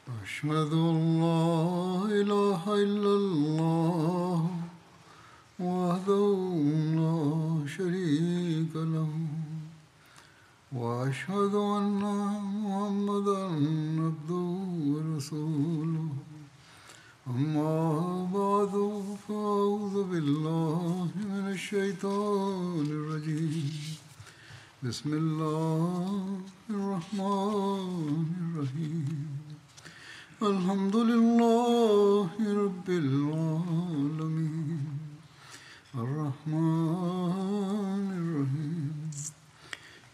أشهد أن لا إله إلا الله وحده لا شريك له وأشهد أن محمدا عبده ورسوله أما بعد فأعوذ بالله من الشيطان الرجيم بسم الله الرحمن الرحيم الحمد لله رب العالمين الرحمن الرحيم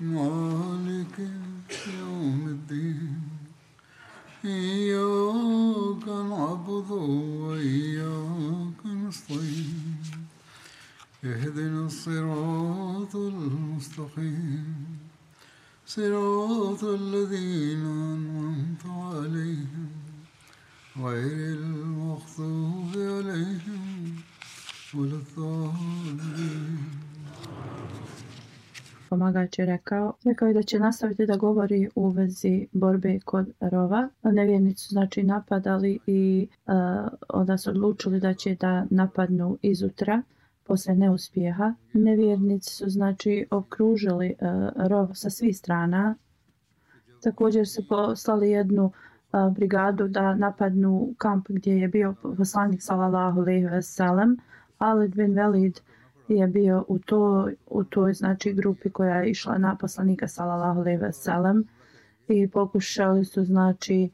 مالك يوم الدين إياك نعبد وإياك نستعين اهدنا الصراط المستقيم صراط الذين أنعمت عليهم غير المغضوب عليهم ولا الضالين. Pomagač je rekao je da će nastaviti da govori u vezi borbe kod rova. Nevjernici su znači napadali i onda su odlučili da će da napadnu izutra posle neuspjeha. Nevjernici su znači okružili rov sa svih strana. Također su poslali jednu brigadu da napadnu kamp gdje je bio poslanik sallallahu alejhi ve sellem. Halid bin Velid je bio u toj znači grupi koja je išla na poslanika sallallahu alejhi ve sellem i pokušali su znači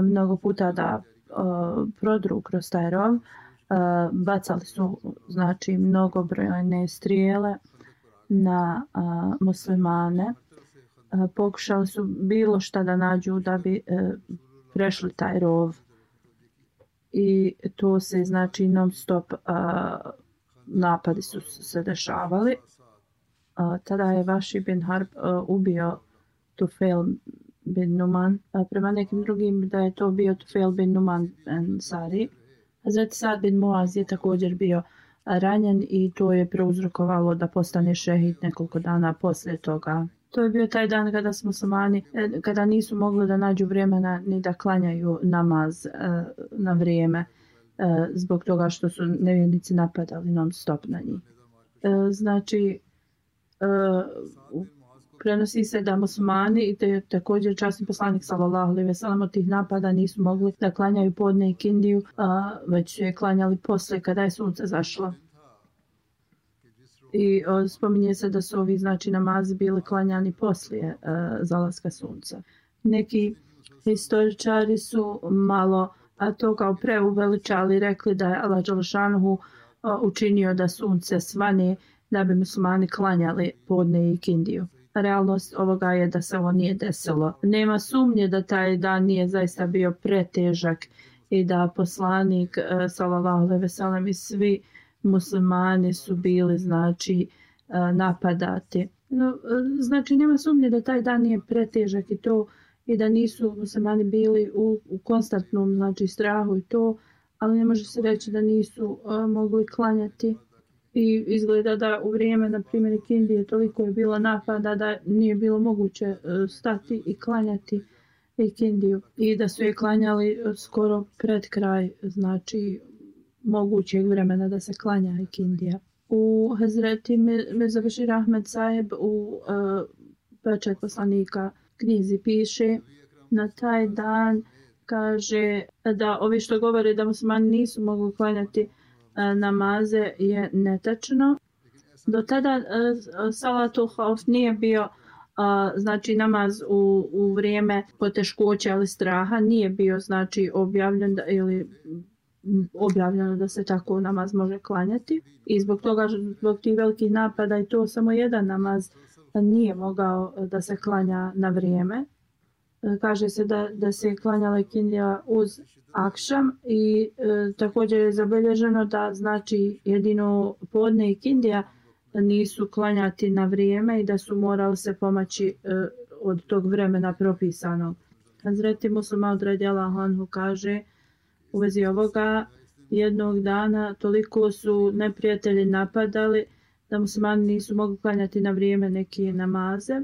mnogo puta da prodru kroz taj rov. Bacali su znači mnogobrojne strijele na muslimane. Pokušali su bilo šta da nađu da bi prešli taj rov i to se znači non stop napadi su se dešavali. Tada je Vaši bin Harb ubio Tufail bin Numan. Prema nekim drugim da je to bio Tufail bin Numan Ansari. Hazret Sad bin Muaz je također bio ranjen i to je prouzrokovalo da postane šehid nekoliko dana poslije toga. To je bio taj dan kada su muslimani, kada nisu mogli da nađu vremena ni da klanjaju namaz na vrijeme zbog toga što su nevjernici napadali non stop na njih. Znači, prenosi se da muslimani i također časni poslanik sallallahu alejhi ve sellem od tih napada nisu mogli da klanjaju podne i kindiju, već su je klanjali posle kada je sunce zašlo. I spominje se da su ovi znači namazi bili klanjani poslije zalaska sunca. Neki historičari su malo to kao preuveličali, rekli da je Allah dželešanuhu učinio da sunce svane da bi muslimani klanjali podne i kindiju. Realnost ovoga je da se ovo nije desilo. Nema sumnje da taj dan nije zaista bio pretežak i da poslanik sallallahu alejhi ve sellem i svi muslimani su bili znači napadati. No, znači nema sumnje da taj dan nije pretežak i to i da nisu muslimani bili u konstantnom znači strahu i to, ali ne može se reći da nisu mogli klanjati. I izgleda da u vrijeme, na primjer, Kindije toliko je bilo napada da nije bilo moguće stati i klanjati Kindiju. I da su je klanjali skoro pred kraj, znači, mogućeg vremena da se klanja Kindija. U Hazreti Mirza Bashir Ahmed Saheb u Pečat poslanika knjizi piše na taj dan, kaže da ovi što govore da muslimani nisu mogli klanjati namaze je netačno. Do tada salatul hauf nije bio znači namaz u vrijeme poteškoća ili straha, nije bio znači objavljeno da se tako namaz može klanjati i zbog toga, zbog tih velikih napada i to samo jedan namaz nije mogao da se klanja na vrijeme. Kaže se da se klanjala Kindija uz akšam i također je zabilježeno da znači jedino podne i Kindija nisu klanjati na vrijeme i da su morali se pomaći od tog vremena propisanog. Hazreti Muslima radijallahu anhu kaže u vezi ovoga, jednog dana toliko su neprijatelji napadali da muslimani nisu mogli klanjati na vrijeme neke namaze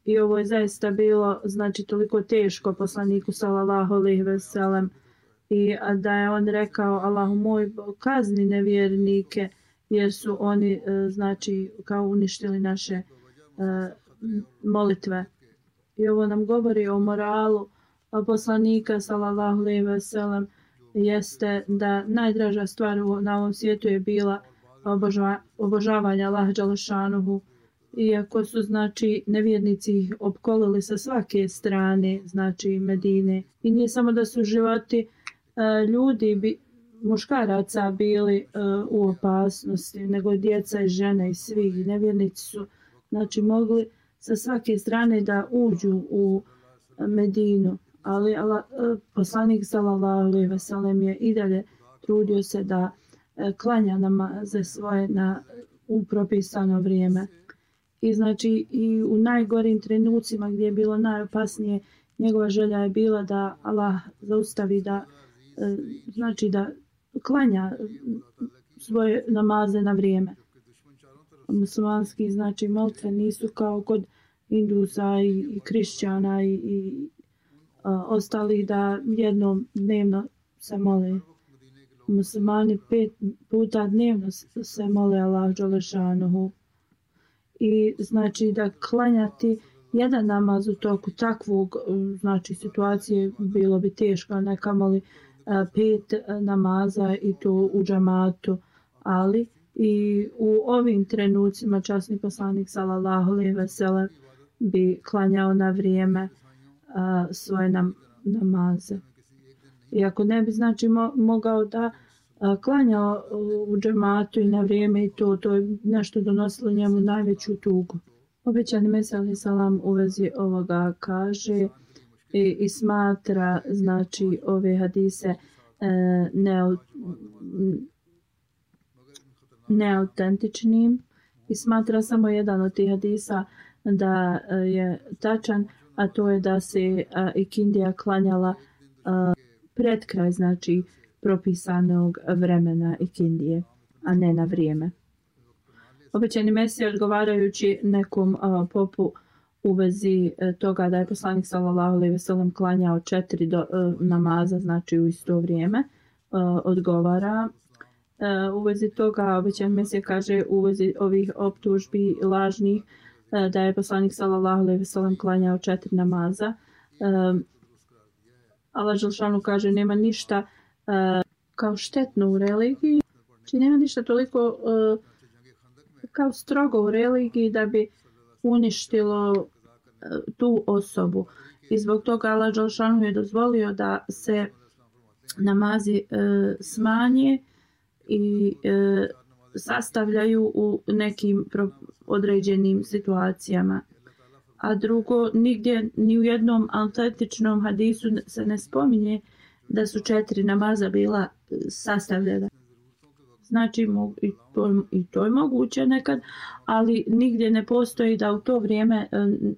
I ovo je zaista bilo znači toliko teško poslaniku sallallahu alejhi ve sellem i da je on rekao Allahu moj kazni nevjernike jer su oni znači kao uništili naše molitve. I ovo nam govori o moralu poslanika sallallahu alejhi ve sellem jeste da najdraža stvar na ovom svijetu je bila obožavanje Allaha dželešanuhu. Iako su znači nevjernici opkolili sa svake strane znači Medine i nije samo da su životi ljudi muškaraca bili u opasnosti, nego djeca i žene i svi nevjernici su znači mogli sa svake strane da uđu u Medinu, ali poslanik sallallahu alejhi ve sellem je i dalje trudio se da klanja namaze svoje u propisano vrijeme. I znači i u najgorim trenucima gdje je bilo najopasnije, njegova želja je bila da Allah zaustavi da znači da klanja svoje namaze na vrijeme. Muslimanski znači molitve nisu kao kod Hindusa i Kršćana i ostali da jednom dnevno se mole. Muslimani 5 puta dnevno se mole Allah dželešanuhu. I znači da klanjati jedan namaz u toku takvog znači situacije bilo bi teško, ne kamoli 5 namaza i to u džamatu, ali i u ovim trenucima časni poslanik sallallahu alejhi ve sellem bi klanjao na vrijeme svoje namaze. Iako ne bi znači mogao da klanjao u džematu i na vrijeme i to je nešto donosilo njemu najveću tugu. Obećani Mesija alejhi selam u vezi ovoga kaže i smatra znači ove hadise neautentičnim i smatra samo jedan od tih hadisa da je tačan, a to je da se ikindija klanjala pred kraj znači propisanog vremena ikindije, a ne na vrijeme. Obećani Mesija odgovarajući nekom popu u vezi toga da je poslanik sallallahu alejhi ve sellem klanjao 4 namaza znači u isto vrijeme, odgovara u vezi toga. Obećani Mesija kaže u vezi ovih optužbi lažnih da je poslanik sallallahu alejhi ve sellem klanjao 4 namaza. Allah dželešanu kaže nema ništa kao štetno u religiji, znači nema ništa toliko kao strogo u religiji da bi uništilo tu osobu. I zbog toga Allah dželešanu je dozvolio da se namazi smanje i sastavljaju u nekim određenim situacijama. A drugo, nigdje ni u jednom autentičnom hadisu se ne spominje da su 4 namaza bila sastavljena. Znači i to je moguće nekad, ali nigdje ne postoji da u to vrijeme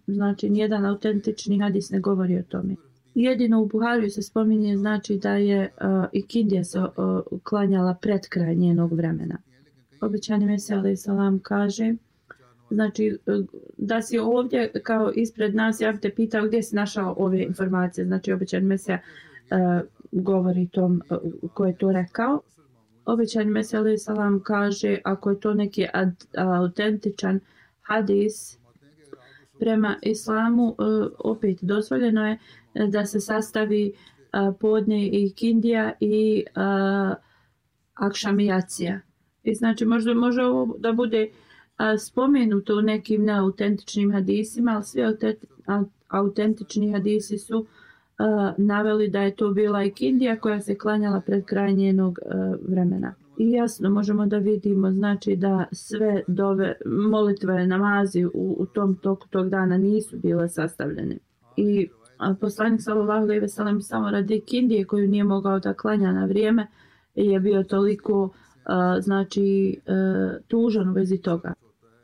znači nijedan autentični hadis ne govori o tome. Jedino u Buhariju se spominje znači da je ikindija se klanjala pred kraj njenog vremena. Obećani Mesija alejhi selam kaže znači da si ovdje kao ispred nas, ja bih te pitao gdje si našao ove informacije. Znači obećani Mesija govori tom ko je to rekao. Obećani Mesija alejhi selam kaže ako je to neki autentičan hadis prema islamu, opet dozvoljeno je da se sastavi podne i ikindija i akšamijacija. I znači može ovo da bude spomenuto u nekim neautentičnim hadisima, ali svi autentični hadisi su naveli da je to bila ikindija koja se klanjala pred kraj njenog vremena. I jasno možemo da vidimo znači da sve molitve, namazi u tom toku tog dana nisu bile sastavljene. I poslanik sallallahu alejhi ve sellem samo radi ikindije koju nije mogao da klanja na vrijeme je bio toliko znači tužan u vezi toga.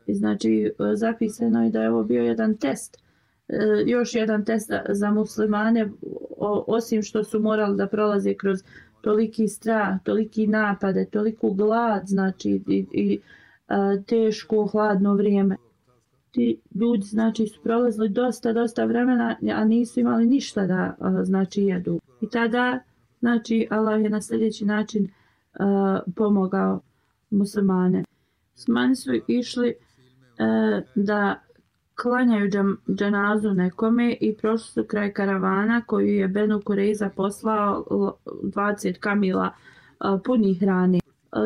I znači zapisano je da je ovo bio jedan test, još jedan test za muslimane, osim što su morali da prolaze kroz toliki strah, toliki napade, toliku glad, znači i teško hladno vrijeme. ti ljudi znači su prolazili dosta vremena, a nisu imali ništa da znači jedu. I tada znači Allah je na sljedeći način pomogao muslimane. Muslimani su išli da klanjaju dženazu nekome i prošli su kraj karavana koju je Benu Kureiza poslao 20 kamila punih hrane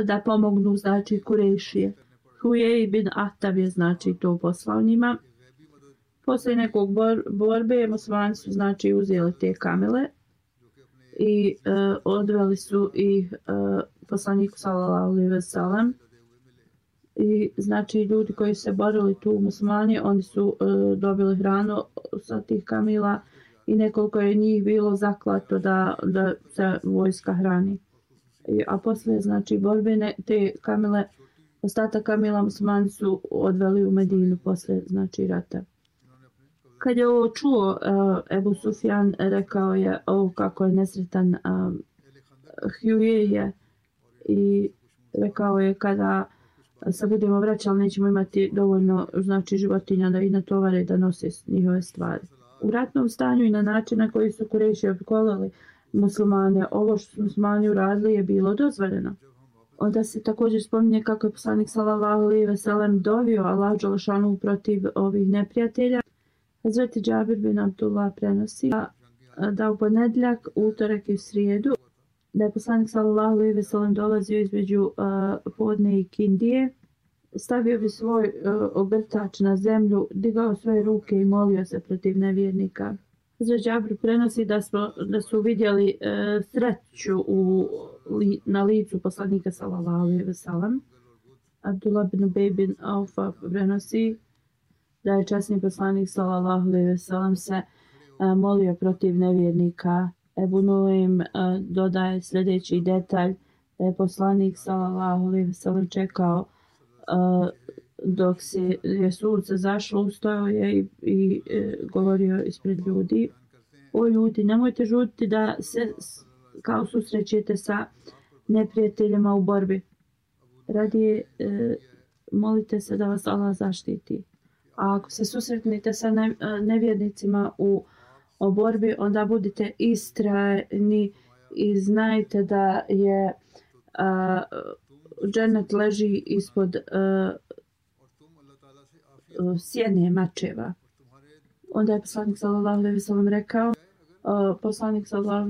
da pomognu znači Kurejšije. Hujej bin Ahtab je znači to poslao njima. Poslije nekog borbe muslimani su znači uzeli te kamile i odveli su ih poslaniku sallallahu alejhi ve sellem. I znači ljudi koji se borili tu muslimani, oni su dobili hranu sa tih kamila i nekoliko je njih bilo zaklato da se vojska hrani. A poslije znači borbe te kamile, ostatak kamila muslimani su odveli u Medinu poslije znači rata. Kad je ovo čuo, Ebu Sufjan rekao je kako je nesretan Hujej i rekao je kada se budemo vraćali nećemo imati dovoljno znači životinja da ih natovare da nose njihove stvari. U ratnom stanju i na način na koji su Kurejši opkolili muslimane, ovo što su muslimani uradili je bilo dozvoljeno. Onda se također spominje kako je poslanik sallallahu alejhi ve sellem dovio Allah dželešanu protiv ovih neprijatelja. Hazreti Džabir bin Abdullah prenosi da u ponedjeljak, utorak i srijedu da je poslanik sallallahu alejhi ve sellem dolazio između podne i kindije, stavio bi svoj ogrtač na zemlju, digao svoje ruke i molio se protiv nevjernika. Hazreti Džabir prenosi da su vidjeli sreću na licu poslanika sallallahu alejhi ve sellem. Abdullah bin Ubej bin Aufa prenosi da je časni poslanik sallallahu alejhi ve sellem se molio protiv nevjernika. Ebu Nuaym dodaje sljedeći detalj da je poslanik sallallahu alejhi ve sellem čekao dok je sunce zašlo, ustajao je i govorio ispred ljudi: o ljudi, nemojte žuditi da se kao susrećete sa neprijateljima u borbi. Radije molite se da vas Allah zaštiti. A ako se susretnete sa nevjernicima u borbi, onda budite istrajni i znajte da je džennet leži ispod sjene mačeva. Onda je poslanik sallallahu alejhi ve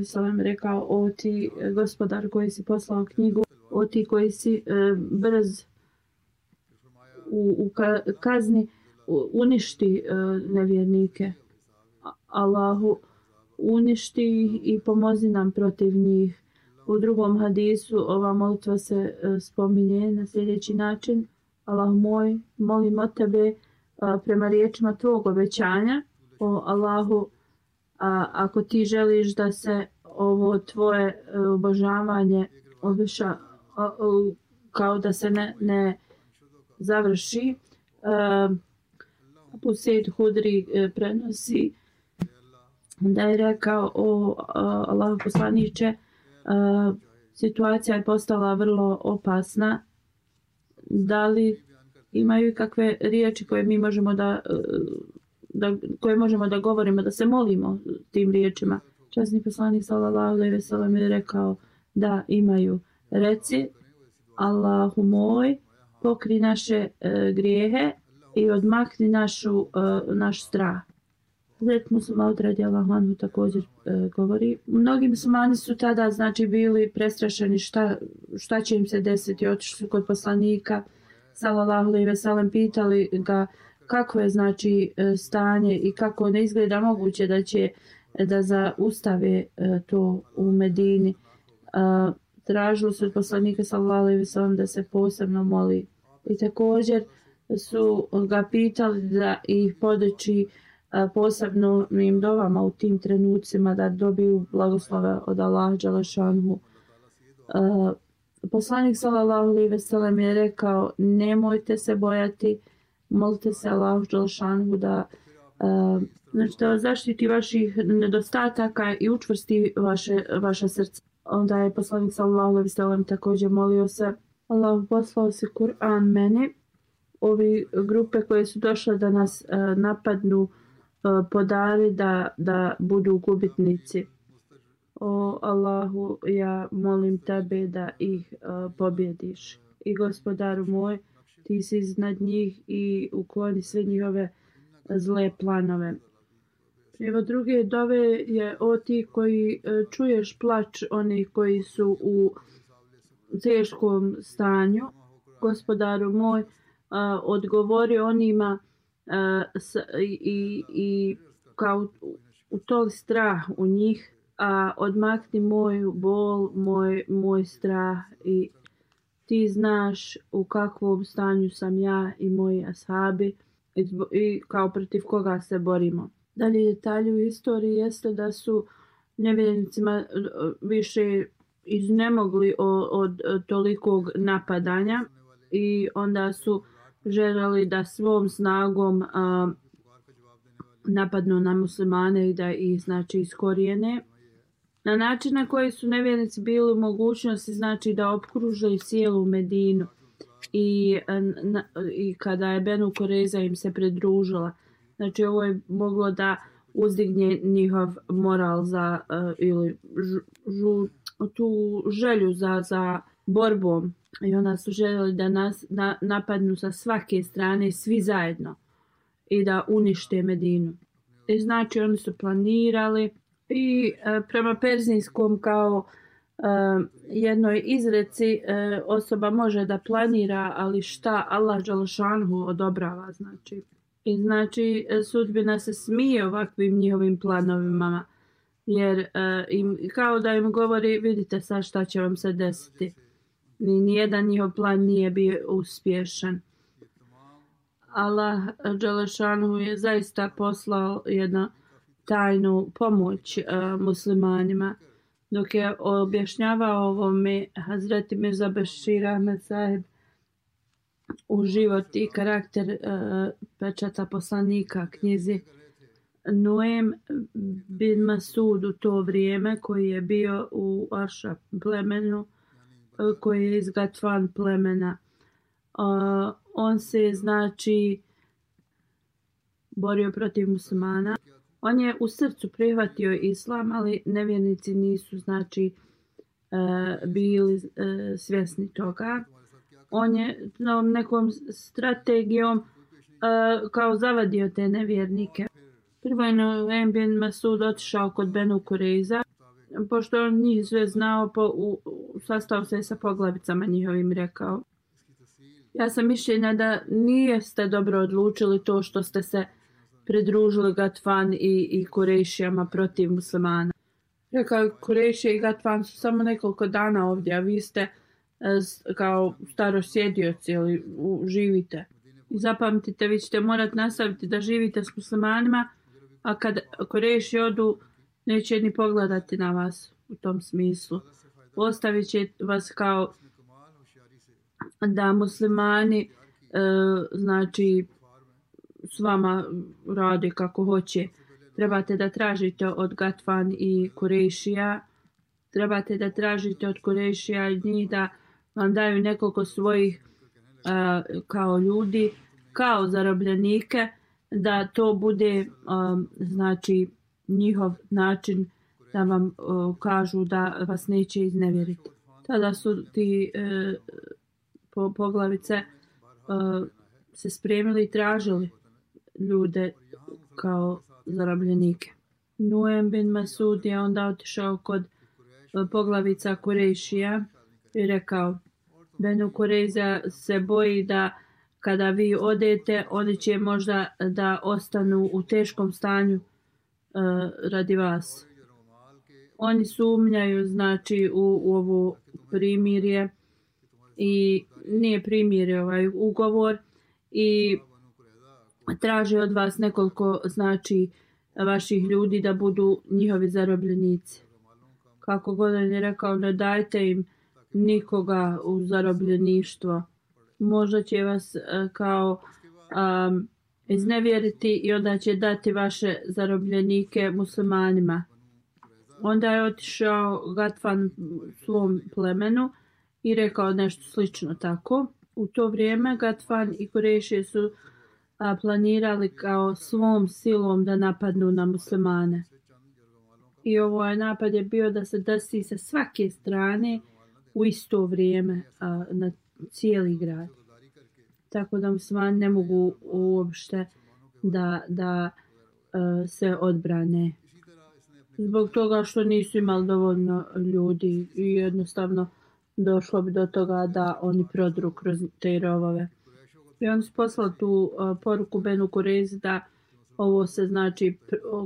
sellem rekao: o ti gospodar koji si poslao knjigu, o ti koji si brz u kazni, uništi nevjernike. Allahu, uništi ih i pomozi nam protiv njih. U drugom hadisu ova molitva se spominje na sljedeći način: Allah moj, molim od tebe prema riječima tvog obećanja, o Allahu, ako ti želiš da se ovo tvoje obožavanje kao da se ne završi. Abu Sejd Hudri prenosi da je rekao: o Allahu poslaniče, situacija je postala vrlo opasna. Da li imaju kakve riječi koje mi možemo koje možemo da govorimo, da se molimo tim riječima? Časni poslanik sallallahu alejhi ve sellem je rekao: da, imaju. Reci: Allahu moj, pokri naše grijehe i odmakni naš strah. Hazret Muslima radijallahu anhu također govori: mnogi muslimani su tada znači bili prestrašeni šta će im se desiti. Otišli su kod poslanika sallallahu alejhi ve sellem, pitali ga kako je znači stanje i kako ne izgleda moguće da zaustave to u Medini. Tražili su od poslanika sallallahu alejhi ve sellem da se posebno moli i također su ga pitali da ih poduči posebnim dovama u tim trenucima da dobiju blagoslove od Allaha dželešanhu. Poslanik sallallahu alejhi ve sellem je rekao: nemojte se bojati, molite se Allahu dželešanhu da vas zaštiti vaših nedostataka i učvrsti vaša srca. Onda je poslanik sallallahu alejhi ve sellem također molio se: Allahu, poslao si Kur'an meni ovi grupe koje su došle da nas napadnu podari da budu gubitnici. O Allahu, ja molim tebe da ih pobjediš. I gospodaru moj, ti si iznad njih i ukloni sve njihove zle planove. Evo druge dove je o ti koji čuješ plač onih koji su u teškom stanju. Gospodaru moj, odgovori onima i kao utoli strah u njih, a odmakni moju bol, moj strah i ti znaš u kakvom stanju sam ja i moji ashabi i kao protiv koga se borimo. Dalje detalji u istoriji jeste da su nevjernicima više iznemogli od tolikog napadanja i onda su željeli da svom snagom napadnu na muslimane i da ih znači iskorijene. Na način na koji su nevjernici bili u mogućnosti znači da opkruže cijelu Medinu i kada je Benu Kurejza im se pridružila. Znači ovo je moglo da uzdigne njihov moral za ili tu želju za borbom. I onda su željeli da nas napadnu sa svake strane svi zajedno i da unište Medinu. I znači oni su planirali i prema perzijskom kao jednoj izreci osoba može da planira, ali šta Allah dželešanhu odobrava znači. I znači sudbina se smije ovakvim njihovim planovima jer kao da im govori vidite sad šta će vam se desiti. Nijedan njihov plan nije bio uspješan. Allah dželešanhu je zaista poslao jednu tajnu pomoć muslimanima. Dok je objašnjavao ovome Hazreti Mirza Bešir Ahmed Sahib u život i karakter pečata poslanika knjizi Nuem bin Masud u to vrijeme koji je bio u Aša plemenu koji je iz Gatfan plemena. On se znači borio protiv muslimana. On je u srcu prihvatio islam, ali nevjernici nisu znači bili svjesni toga. On je nekom strategijom kao zavadio te nevjernike. Prvo je Nuem bin Masud otišao kod Benu Kurejza, pošto on njih sve znao, sastao se sa poglavicama njihovim rekao. Ja sam mišljenja da niste dobro odlučili to što ste se pridružili Gatfan i Kurejšijama protiv muslimana. Rekao, Kurejšije i Gatfan su samo nekoliko dana ovdje, a vi ste kao starosjedioci ili živite. I zapamtite, vi ćete morati nastaviti da živite s muslimanima, a kad Kurejši odu, neće ni pogledati na vas u tom smislu. Ostavit će vas kao da muslimani znači s vama rade kako hoće. Trebate da tražite od Gatfan i Kurejšija, trebate da tražite od Kurejšija i njih da vam daju nekoliko svojih kao ljudi, kao zarobljenike, da to bude znači njihov način da vam kažu da vas neće iznevjeriti. Tada su ti poglavice se spremili i tražili ljude kao zarobljenike. Nuem bin Masud je onda otišao kod poglavica Kurejšija i rekao, Benu Kurejza se boji da kada vi odete, oni će možda da ostanu u teškom stanju radi vas. Oni sumnjaju znači u ovo primirje i nije primirje ovaj ugovor i traže od vas nekoliko znači vaših ljudi da budu njihovi zarobljenici. Kako god on je rekao, ne dajte im nikoga u zarobljeništvo. Možda će vas kao iznevjeriti i onda će dati vaše zarobljenike muslimanima. Onda je otišao Gatfan svom plemenu i rekao nešto slično tako. u to vrijeme Gatfan i Kurejši su planirali kao svom silom da napadnu na muslimane. I ovaj napad je bio da se desi sa svake strane u isto vrijeme na cijeli grad. Tako da muslimani ne mogu uopšte da se odbrane. Zbog toga što nisu imali dovoljno ljudi i jednostavno došlo bi do toga da oni prodru kroz te rovove. I oni su poslali tu poruku Benu Kurezi da ovo se znači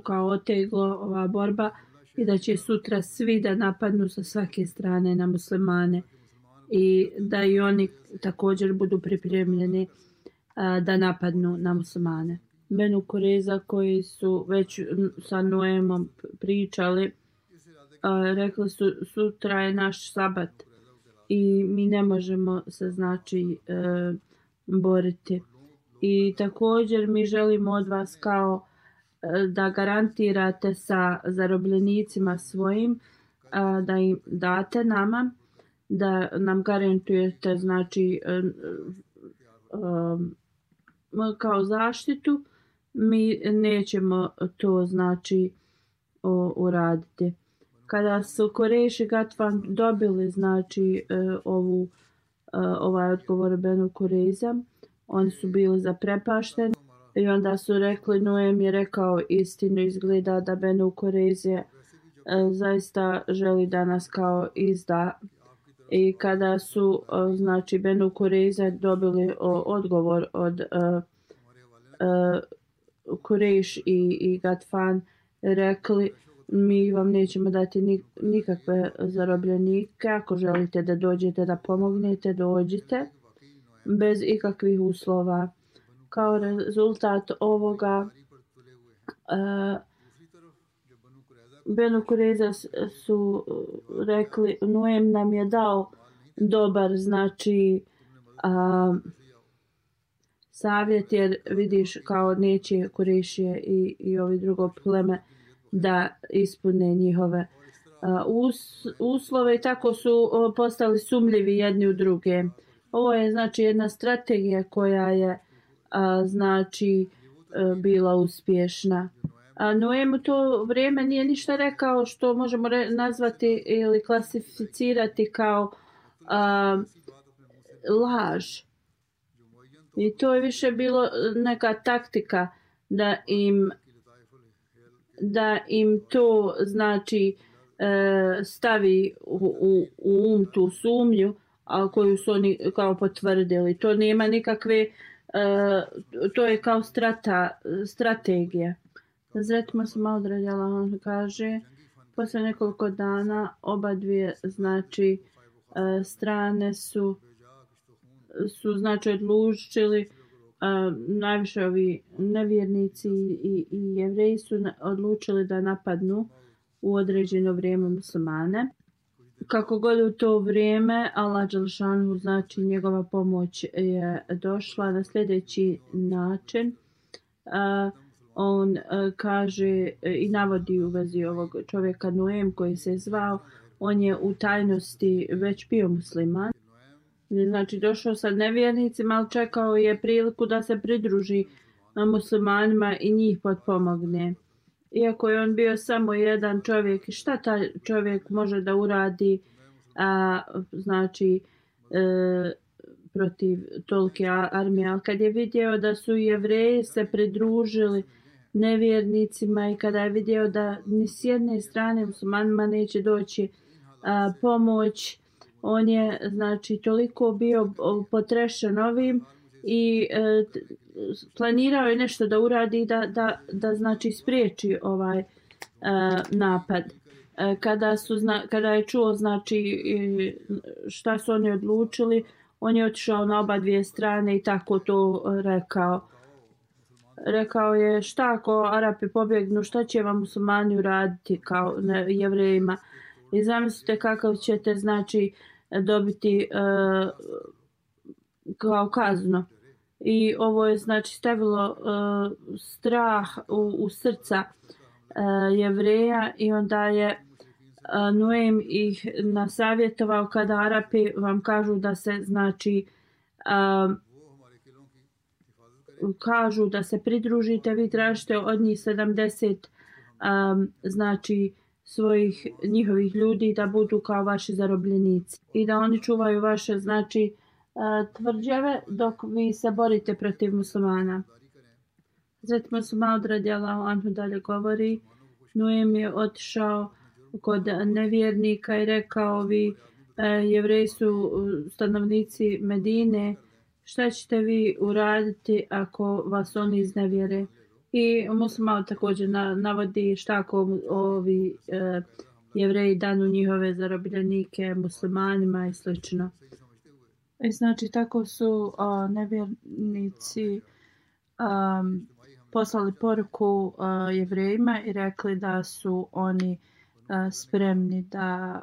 kao oteglo ova borba i da će sutra svi da napadnu sa svake strane na muslimane i da i oni također budu pripremljeni da napadnu na muslimane. Benu Kureza koji su već sa Noemom pričali, rekli su sutra je naš sabat i mi ne možemo se znači boriti. I također mi želimo od vas kao da garantirate sa zarobljenicima svojim, da im date nama, da nam garantujete znači kao zaštitu, mi nećemo to znači uraditi. Kada su Kurejši Gatfan dobili znači ovaj odgovor Benu Kureza, oni su bili zaprepašteni i onda su rekli, Noem je rekao istinu, izgleda da Benu Kureze zaista želi da nas kao izda. I kada su znači Benu Kureze dobili odgovor od Kurejš i Gatfan, rekli, mi vam nećemo dati nikakve zarobljenike, ako želite da dođete da pomognete, dođite bez ikakvih uslova. Kao rezultat ovoga Benu Kureza su rekli, Noem nam je dao dobar znači savjet, jer vidiš kao neće Kurejšije i ovi drugo pleme da ispune njihove uslove i tako su postali sumljivi jedni u druge. Ovo je znači jedna strategija koja je znači bila uspješna. Noem u to vrijeme nije ništa rekao što možemo nazvati ili klasificirati kao laž. I to je više bilo neka taktika da im to znači stavi u tu sumnju, a koju su oni kao potvrdili. To nema nikakve, to je kao strategija. Zretimo se malo odradjala, on kaže, posle nekoliko dana oba dvije znači strane su znači odlučili, najviše ovi nevjernici i Jevreji su odlučili da napadnu u određeno vrijeme muslimane. Kako god u to vrijeme Allah dželešanu, znači njegova pomoć je došla na sljedeći način. On kaže i navodi u vezi ovog čovjeka Noem koji se zvao, on je u tajnosti već bio musliman. Znači došao sa nevjernicima, ali čekao je priliku da se pridruži muslimanima i njih potpomogne. Iako je on bio samo jedan čovjek, šta taj čovjek može da uradi znači protiv tolike armije. Ali kad je vidio da su Jevreji se pridružili nevjernicima i kada je vidio da ni s jedne strane muslimanima neće doći pomoć, on je znači toliko bio potrešen ovim i planirao je nešto da uradi da znači spriječi ovaj napad. Kada je čuo znači šta su oni odlučili, on je otišao na oba dvije strane i tako to rekao. Rekao je, šta ako Arapi pobjegnu, šta će vam muslimani uraditi kao Jevrejima? I zamislite kakav ćete znači dobiti kao kaznu. I ovo je znači stavilo strah u srca Jevreja i onda je Noem ih nasavjetovao kada Arapi vam kažu da se znači kažu da se pridružite, vi tražite od njih 70 znači njihovih ljudi da budu kao vaši zarobljenici i da oni čuvaju vaše znači tvrđave dok vi se borite protiv muslimana. Hazret Mus'ab radijallahu anhu dalje govori, Nujem je otišao kod nevjernika i rekao, vi Jevreji su stanovnici Medine, šta ćete vi uraditi ako vas oni iznevjere? I Mus'ab također navodi šta ako ovi Jevreji danu njihove zarobljenike muslimanima i slično. I znači tako su nevjernici poslali poruku Jevrejima i rekli da su oni spremni da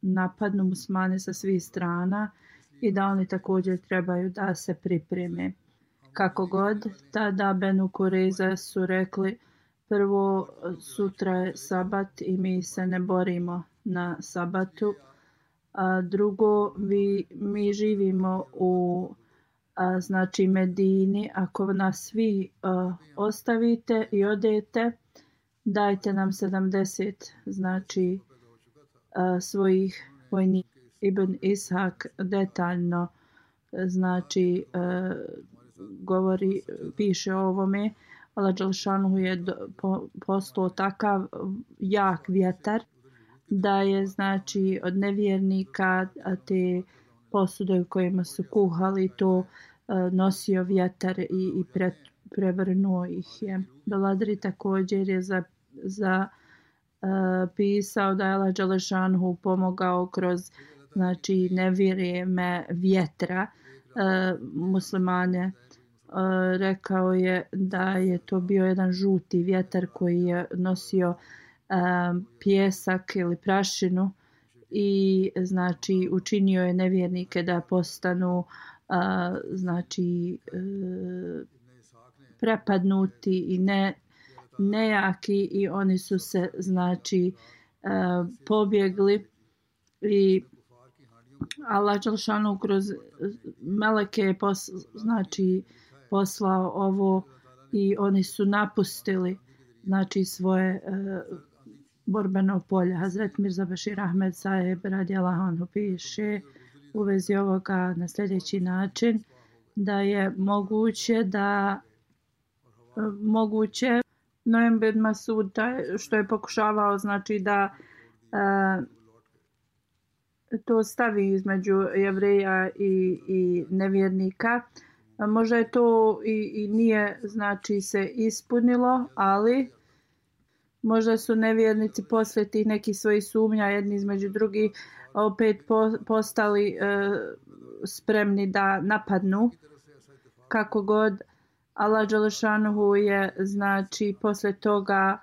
napadnu muslimane sa svih strana i da oni također trebaju da se pripreme. Kako god, tada Benu Kureza su rekli, prvo sutra je sabat i mi se ne borimo na sabatu, a drugo mi živimo u znači Medini, ako nas svi ostavite i odete, dajte nam 70 znači svojih vojnika. Ibn Ishak detaljno znači govori, piše o ovome. Allah dželešanu je poslao takav jak vjetar da je znači od nevjernika te posude u kojima su kuhali to nosio vjetar i prevrnuo ih je. Beladri također je pisao da je Allah dželešanu pomogao kroz znači nevjereme vjetra muslimane. Rekao je da je to bio jedan žuti vjetar koji je nosio pjesak ili prašinu i znači učinio je nevjernike da postanu znači prepadnuti i nejaki i oni su se znači pobjegli i Allah dželešanu kroz meleke znači poslao ovo i oni su napustili znači svoje borbeno polje. Hazret Mirza Bashir Ahmed Saheb radijallahu anhu piše u vezi ovoga na sljedeći način da je moguće Nujem bin Masud što je pokušavao znači da to stavi između Jevreja i nevjernika. Možda je to i nije znači se ispunilo, ali možda su nevjernici poslije tih nekih svojih sumnja jedni između drugih opet postali spremni da napadnu. Kako god, Allah dželešanuhu je znači poslije toga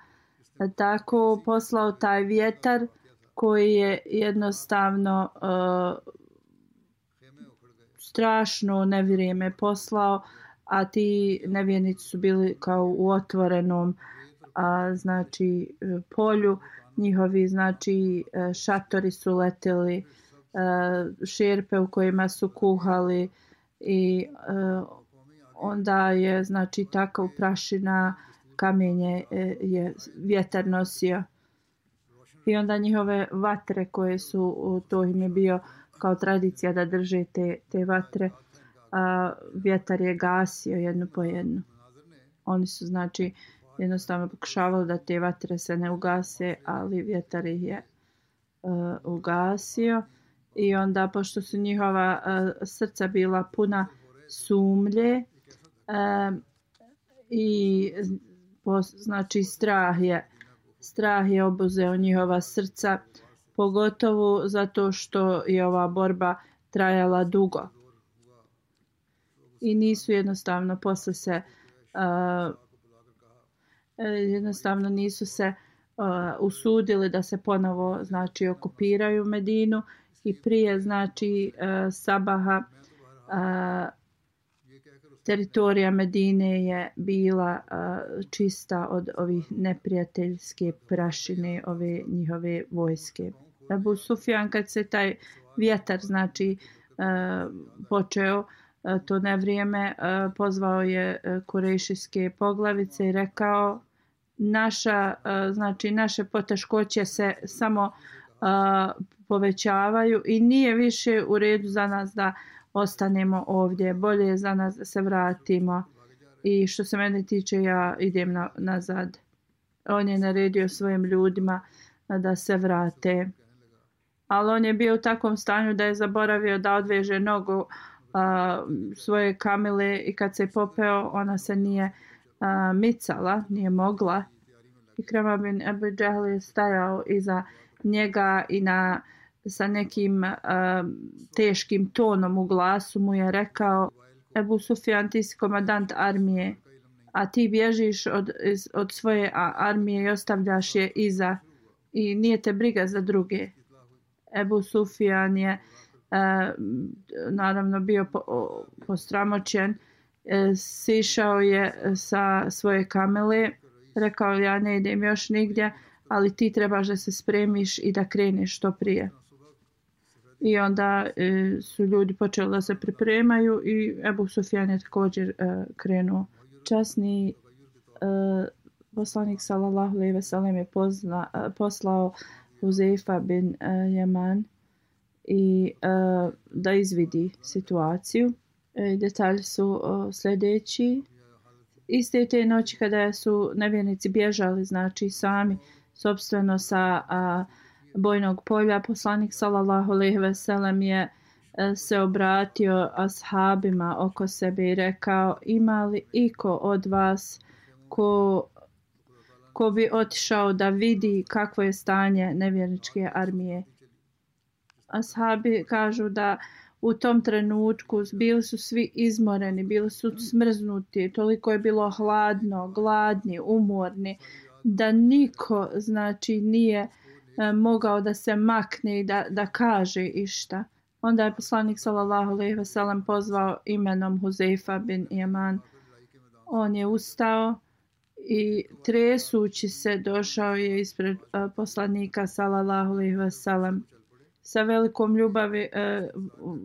tako poslao taj vjetar koji je jednostavno strašno nevrijeme poslao, a ti nevjernici su bili kao u otvorenom znači polju, njihovi znači šatori su leteli, šerpe u kojima su kuhali i onda je znači takav prašina, kamenje je vjetar nosio. I onda njihove vatre koje su, to im je bio kao tradicija da drže te vatre, vjetar je gasio jednu po jednu. Oni su znači jednostavno pokušavali da te vatre se ne ugase, ali vjetar ih je ugasio. I onda pošto su njihova srca bila puna sumlje i znači strah je obuzeo njihova srca, pogotovo zato što je ova borba trajala dugo. I nisu jednostavno posle se usudili da se ponovo znači okupiraju Medinu i prije znači sabaha teritorija Medine je bila čista od ovih neprijateljske prašine ove njihove vojske. Ebu Sufjan kad se taj vjetar znači počeo to nevrijeme, pozvao je kurejšijske poglavice i rekao naše poteškoće se samo povećavaju i nije više u redu za nas da ostanemo ovdje, bolje je za nas da se vratimo i što se mene tiče ja idem nazad. On je naredio svojim ljudima da se vrate, ali on je bio u takvom stanju da je zaboravio da odveže nogu svoje kamile i kad se popeo ona se nije micala, nije mogla. Ikrama bin Ebu Džehl je stajao iza njega i sa nekim teškim tonom u glasu mu je rekao: Ebu Sufjan, ti si komandant armije, a ti bježiš od svoje armije i ostavljaš je iza i nije te briga za druge. Ebu Sufjan je naravno bio posramoćen, sišao je sa svoje kamele, rekao: ja ne idem još nigdje, ali ti trebaš da se spremiš i da kreneš što prije. I onda su ljudi počeli da se pripremaju i Ebu Sufjan je također krenuo. Časni poslanik sallallahu alejhi ve sellem je poslao Huzeifa bin Yaman i da izvidi situaciju. Detalji su sljedeći. Iste te noći kada su nevjernici bježali, znači sami sopstveno sa bojnog polja, poslanik sallallahu alejhi ve sellem je se obratio ashabima oko sebe i rekao: ima li iko od vas ko bi otišao da vidi kakvo je stanje nevjerničke armije? Ashabi kažu da u tom trenutku bili su svi izmoreni, bili su smrznuti, toliko je bilo hladno, gladni, umorni, da niko znači nije mogao da se makne i da kaže išta. Onda je poslanik sallallahu alejhi ve sellem pozvao imenom Huzeifa bin Yaman. On je ustao i tresući se došao je ispred poslanika sallallahu alejhi ve sellem. Sa velikom ljubavi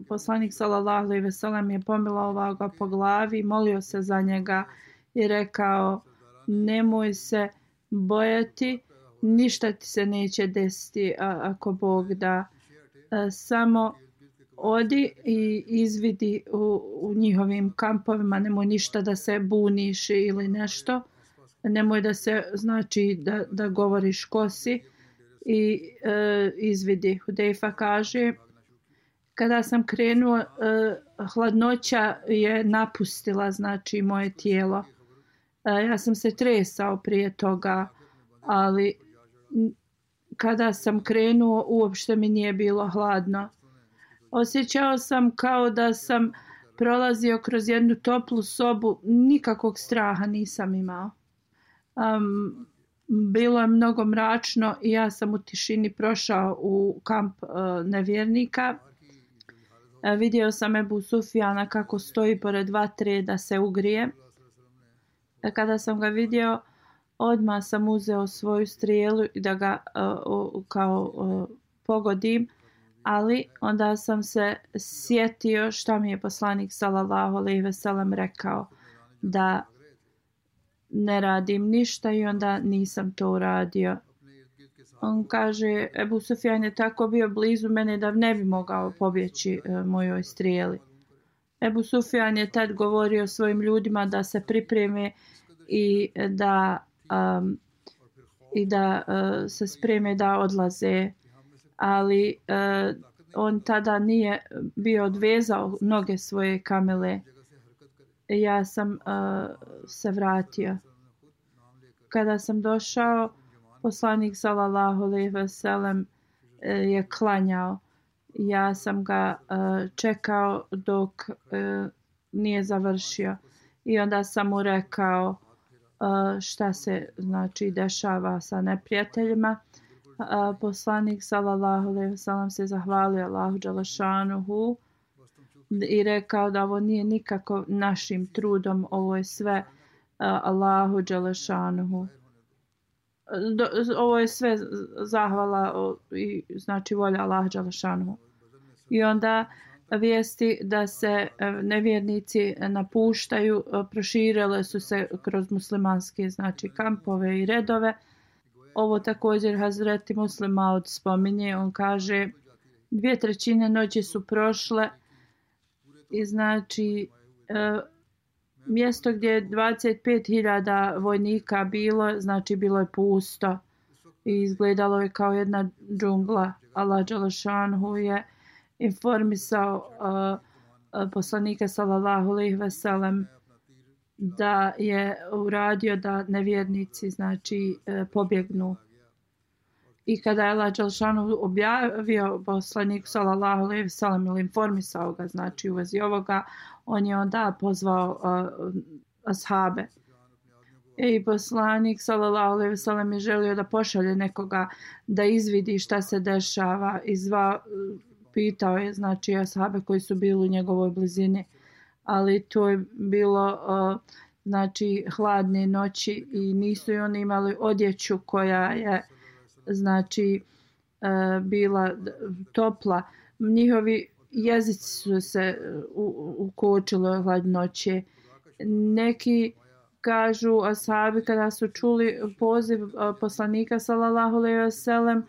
poslanik sallallahu alejhi ve sellem je pomilovao ga po glavi, molio se za njega i rekao: nemoj se bojati, ništa ti se neće desiti ako Bog da. Samo odi i izvidi u njihovim kampovima, nemoj ništa da se buniš ili nešto, nemoj da se znači da govoriš ko si i izvidi. Hudejfa kaže: kada sam krenuo, hladnoća je napustila znači moje tijelo. Ja sam se tresao prije toga, ali kada sam krenuo uopšte mi nije bilo hladno. Osjećao sam kao da sam prolazio kroz jednu toplu sobu, nikakvog straha nisam imao. Bilo je mnogo mračno i ja sam u tišini prošao u kamp nevjernika. Vidio sam Ebu Sufjana kako stoji pored vatre da se ugrije. Kada sam ga vidio, odmah sam uzeo svoju strijelu i da ga pogodim, ali onda sam se sjetio šta mi je poslanik sallallahu alejhi ve sellem rekao, da ne radim ništa i onda nisam to uradio. On kaže: Ebu Sufjan je tako bio blizu mene da ne bi mogao pobjeći mojoj strijeli. Ebu Sufjan je tad govorio svojim ljudima da se pripreme i da se spreme da odlaze, ali on tada nije bio odvezao noge svoje kamile. Ja sam se vratio. Kada sam došao, poslanik sallallahu alejhi ve sellem je klanjao. Ja sam ga čekao dok nije završio i onda sam mu rekao šta se znači dešava sa neprijateljima. Poslanik sallallahu alejhi ve sellem se zahvalio Allahu dželešanuhu i rekao da ovo nije nikako našim trudom, ovo je sve Allahu dželešanuhu. ovo je sve zahvala i znači volja Allaha dželešanu. I onda vijesti da se nevjernici napuštaju proširile su se kroz muslimanske znači kampove i redove. Ovo također Hazreti Muslim Maud spominje, on kaže 2/3 noći su prošle i znači mjesto gdje je 25.000 vojnika bilo, znači bilo je pusto i izgledalo je kao jedna džungla. Allah dželešanhu je informisao poslanika sallallahu alejhi ve sellem da je uradio da nevjernici znači pobjegnu. I kada je Allah dželešanu objavio poslaniku sallallahu alejhi ve sellem ili informisao ga znači u vezi ovoga, on je onda pozvao ashabe. I poslanik sallallahu alejhi ve sellem je želio da pošalje nekoga da izvidi šta se dešava i pitao je znači ashabe koji su bili u njegovoj blizini, ali to je bilo znači hladne noći i nisu i oni imali odjeću koja je znači bila topla. Njihovi jezici su se ukočili od hladnoće. Neki kažu ashabi kada su čuli poziv poslanika sallallahu alejhi ve sellem,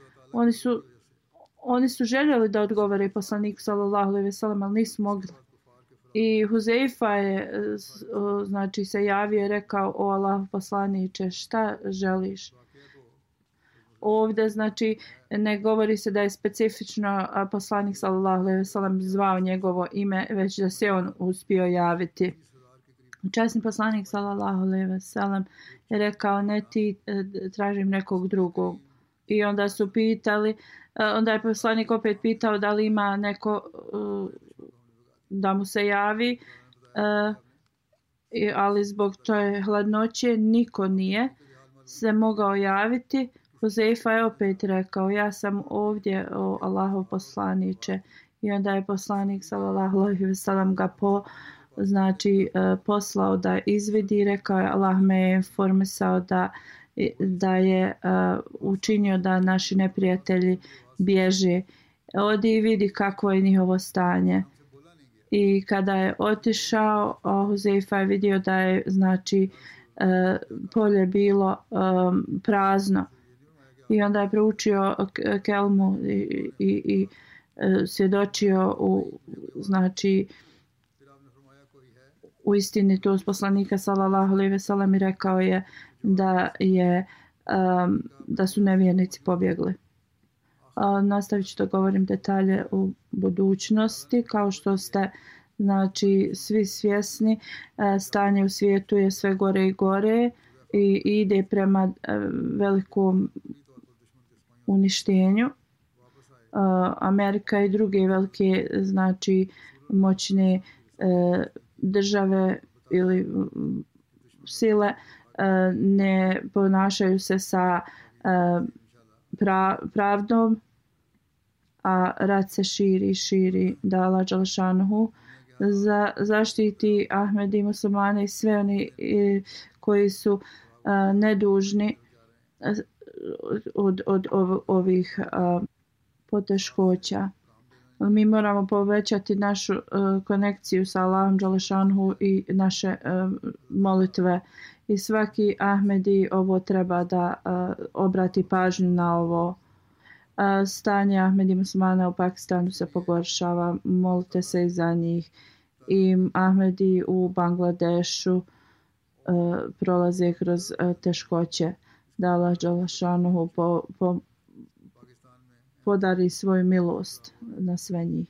oni su željeli da odgovore poslaniku sallallahu alejhi ve sellem, ali nisu mogli. I Huzeifa je znači se javio i rekao: o Allahov poslaniče, šta želiš? Ovdje znači ne govori se da je specifično poslanik sallallahu alejhi ve sellem zvao njegovo ime, već da se on uspio javiti. Časni poslanik sallallahu alejhi ve sellem je rekao: ne ti, tražim nekog drugog. I onda su pitali, onda je poslanik opet pitao da li ima neko da mu se javi, ali zbog te hladnoće niko nije se mogao javiti. Huzeifa je opet rekao: ja sam ovdje, o Allahov poslaniče. I onda je poslanik sallallahu alejhi ve sellem ga poslao da izvidi. Rekao je: Allah me je informisao da je učinio da naši neprijatelji bježe. Odi i vidi kakvo je njihovo stanje. I kada je otišao, Huzeifa je vidio da je znači polje bilo prazno. I onda je proučio kelmu i svjedočio znači u istinitost poslanika sallallahu alejhi ve sellem i rekao je da su nevjernici pobjegli. Nastavit ću da govorim detalje u budućnosti. Kao što ste znači svi svjesni, stanje u svijetu je sve gore i gore i ide prema velikom uništenju. Amerika i druge velike znači moćne države ili sile ne ponašaju se sa pravdom, a rat se širi, da Allah dželešanuhu zaštiti Ahmedi i muslimane i sve oni koji su nedužni od ovih poteškoća. Mi moramo povećati našu konekciju sa Allahom dželešanuhu i naše molitve. I svaki Ahmedi ovo treba da obrati pažnju na ovo. Stanje Ahmedi muslimana u Pakistanu se pogoršava, molite se i za njih. I Ahmedi u Bangladešu prolaze kroz teškoće. Da Allah dželešanuhu podari svoju milost na sve njih.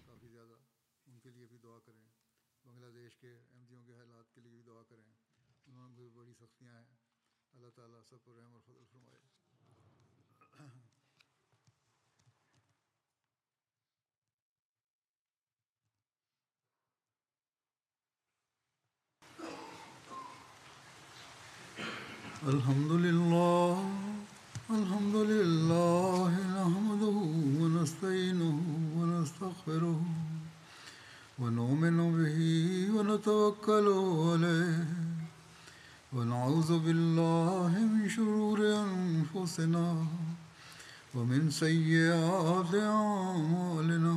Alhamdulillah, alhamdulillah, nahmaduhu wa nasta'inuhu wa nastaghfiruh wa nu'minu bihi wa natawakkalu alayh wa na'udhu billahi min shururi anfusina أنفسنا ومن سيئات أعمالنا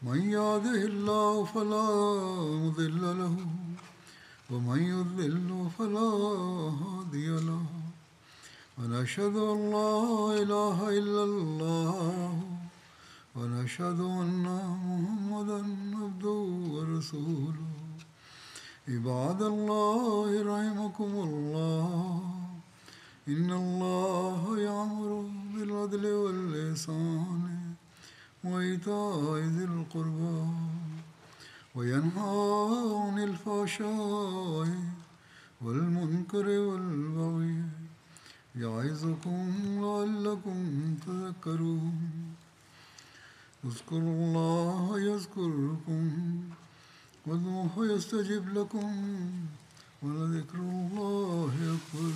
من يهده الله فلا مضل له ومن يضلل فلا هادي له ونشهد أن لا إله إلا الله ونشهد أن محمدا عبده ورسوله عباد الله رحمكم الله إن الله يأمر بالعدل والإحسان وإيتاء ذي القربى وينهى عن الفحشاء والمنكر والبغي يعظكم لعلكم تذكرون اذكروا الله يذكركم وادعوه يستجب لكم ولذكر الله أكبر